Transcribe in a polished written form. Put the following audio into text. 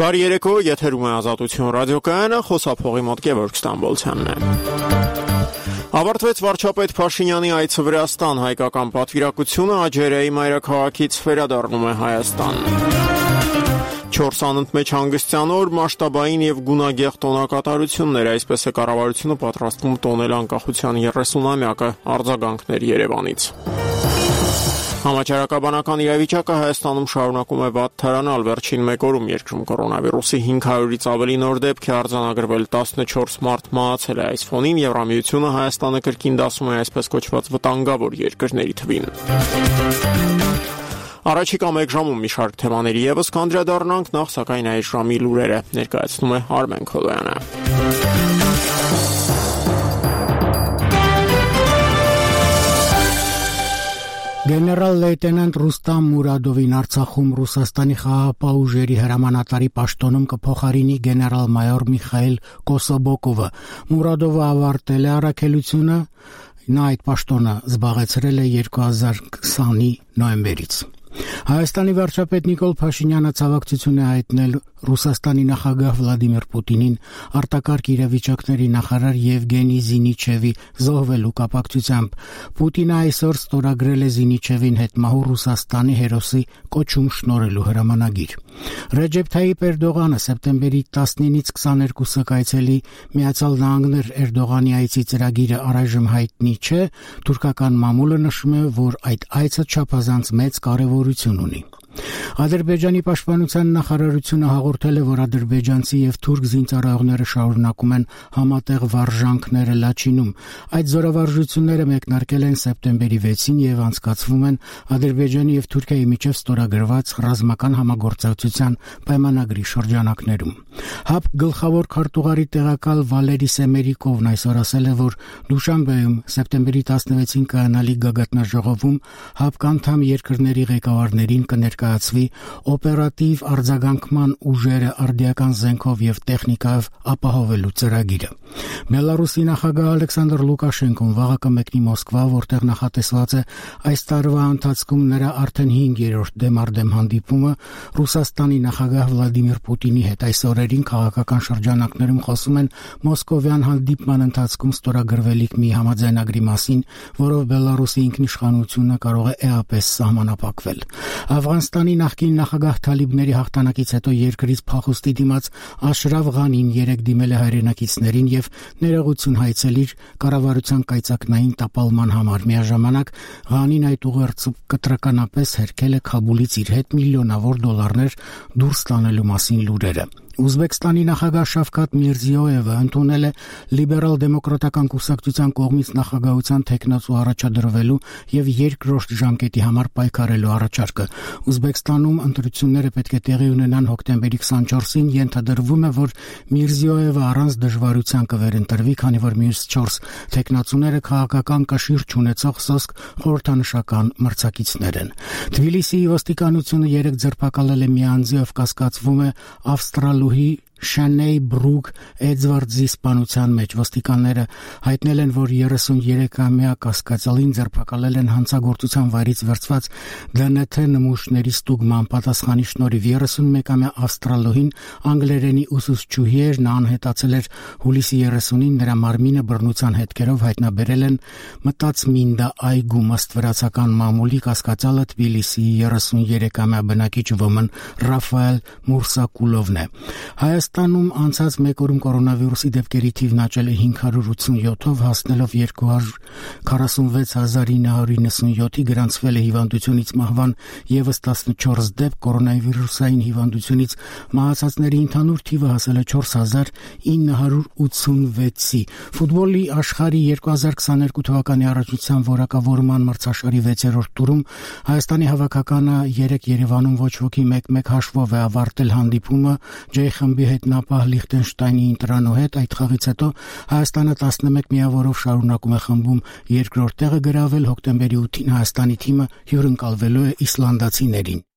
Բարի երեկո, եթերում է Ազատություն ռադիոկայանը, խոսափողի մոտ Գևորգ Ստամբոլցյանն է։ Ավարտվեց վարչապետ Փաշինյանի այցը Վրաստան, հայկական պատվիրակությունը Աջերեի մայրաքաղաքից վերադառնում է Հայաստան։ 4 անընդմեջ հանգստյան օր մասշտաբային եւ գունագեղ տոնակատարություններ, այսպես է կառավարությունը պատրաստվում տոնել անկախության 30-ամյակը, արձագանքներ Երևանից։ Համաճարակաբանական իրավիճակը Հայաստանում շարունակում է վատթարանալ, վերջին մեկ օրում երկրում կորոնավիրուսի 500-ից ավելի նոր դեպք է արձանագրվել, 14 մարդ մահացել է, այս ֆոնին Եվրամիությունը Հայաստանը կրկին դասում է այսպես կոչված վտանգավոր երկրների թվին։ Առաջիկա մեկ ժամում մի շարք թեմաների եւս կանդրադառնանք, նախ սակայն այս ժամի լուրերը ներկայացնում է Արմեն Քոլոյանը։ Գեներալ լեյտենանտ Ռուստամ Մուրադովին Արցախում Ռուսաստանի խաղաղապահ ուժերի հրամանատարի պաշտոնում կփոխարինի գեներալ-մայոր Միխայել Կոսոբոկովը։ Մուրադովը ավարտել է առաքելությունը, նա այդ պաշտոնը զբաղեցրել է 2020-ի նոյեմբերից։ Հայաստանի վարչապետ Նիկոլ Փաշինյանը ցավակցություն է հայտնել Ռուսաստանի նախագահ Վլադիմիր Պուտինին արտակարգ իրավիճակների նախարար Եվգենի Զինիչևի զոհվելու կապակցությամբ։ Պուտինը այսօր ստորագրել է Զինիչևին հետմահու Ռուսաստանի հերոսի կոչում շնորհելու հրամանագիր։ Ռեջեփ Թայիպ Էրդողանը սեպտեմբերի 19-ից 22-ը կայցելի Միացյալ Նահանգներ Էրդողանի այցի ծրագիրը առայժմ հայտնի չէ, թուրքական մամուլը նշում է, որ այդ այցը չափազանց մեծ կարևորություն ունի։ Ադրբեջանի պաշտպանության նախարարությունը հաղորդել է, որ ադրբեջանցի եւ թուրք զինծառայողները շարունակում են համատեղ վարժանքները Լաչինում։ Այդ զորավարժությունները մեկնարկել են սեպտեմբերի 6-ին եւ անցկացվում են Ադրբեջանի եւ Թուրքիայի միջև ստորագրված ռազմական համագործակցության պայմանագրի շրջանակներում։ ՀԱՊ գլխավոր քարտուղարի տեղակալ Վալերի Սեմերիկովն այսօր ասել է, որ Դուշանբեում սեպտեմբերի 16-ին կայանալի գագաթնաժողովում ՀԱՊ անդամ երկրների ղեկավարներին կներկայացվի օպերատիվ արձագանքման ուժերը արդիական զենքով եւ տեխնիկայով ապահովելու ծրագիրը։ Բելարուսի նախագահ Ալեքսանդր Լուկաշենկոն վաղը կմեկնի Մոսկվա, որտեղ նախատեսված է այս տարվա ընթացքում նրա արդեն 5-րդ դեմարդեմ հանդիպումը Ռուսաստանի նախագահ Վլադիմիր Պուտինի հետ։ Այս օրերին քաղաքական շրջանակներում խոսում են մոսկովյան հանդիպման ընթացքում ստորագրվելիք մի համաձայնագրի մասին, որով Բելարուսի ինքնիշխանությունը կարող է էապես սահմանափակվել։ Աֆղանստանի նախկին նախագահ Թալիբների հաղթանակից հետո երկրից փախուստի դիմաց Աշրաֆ Ղանին երեկ դիմել է հայրենակիցներին եւ ներողություն հայցել իր կառավարության կայծակնային տապալման համար։ Միաժամանակ Ղանին այդ ուղերձով կտրականապես հերքել է Քաբուլից իր հետ միլիոնավոր դոլարներ դուրս տանելու մասին լուրերը։ Ուզբեկստանի նախագահ Շավկաթ Միրզիոևը ընդունել է լիբերալ-դեմոկրատական կուսակցության կողմից նախագահության թեկնածու առաջադրվելու եւ երկրորդ ժամկետի համար պայքարելու առաջարկը։ Ուզբեկստանում ընտրությունները պետք է տեղի ունենան հոկտեմբերի 24-ին, ենթադրվում է, որ Միրզիոևը առանց դժվարության կվերընտրվի, քանի որ մյուս 4 թեկնածուները քաղաքական կշիռ չունեցող սոսկ խորհրդանշական մրցակիցներ են։ Թբիլիսիի ոստիկանությունը երեք ձերբակալել է մի անձի, ով կասկածվում է ավստրալուհի Շանեյ Բրուկ Էդվարդզի սպանության մեջ։ Ոստիկանները հայտնել են, որ 33-ամյա կասկածալին ձերբակալել են հանցագործության վայրից վերցված ԴՆԹ նմուշների ստուգման պատասխանի շնորհիվ։ 31-ամյա ավստրալոհին անգլերենի ուսուցչուհի էր, նա անհետացել էր հուլիսի 30-ին, նրա մարմինը բռնության հետքերով հայտնաբերել են Մտածմինդա այգում, ըստ վրացական մամուլի կասկածալը Թբիլիսիի 33-ամյա բնակիչ ոմն Ռաֆայել Մուրսակուլովն է։ Հայաստանում անցած մեկ օրում կորոնավիրուսի դեպքերի թիվն աճել է 587-ով, հասնելով 246,997-ի, գրանցվել է հիվանդությունից մահվան եւս 14 դեպք, կորոնավիրուսային հիվանդությունից մահացածների ընդհանուր թիվը հասել է 4986-ի։ Ֆուտբոլի աշխարհի 2022 թվականի առաջնության որակավորման մրցաշարի 6-րդ տուրում Հայաստանի հավաքականը 3 Երևանում ոչ ոքի 1-1 հաշվով է ավարտել հանդիպումը J խմբի հետ նապահ Լիխտենշտայնի ընտրանու հետ։ Այդ խաղից հետո Հայաստանը 11 միավորով շարունակում է խմբում երկրորդ տեղը գրավել։ Հոկտեմբերի 8-ին Հայաստանի թիմը հյուրընկալվելու է իսլանդացիներին։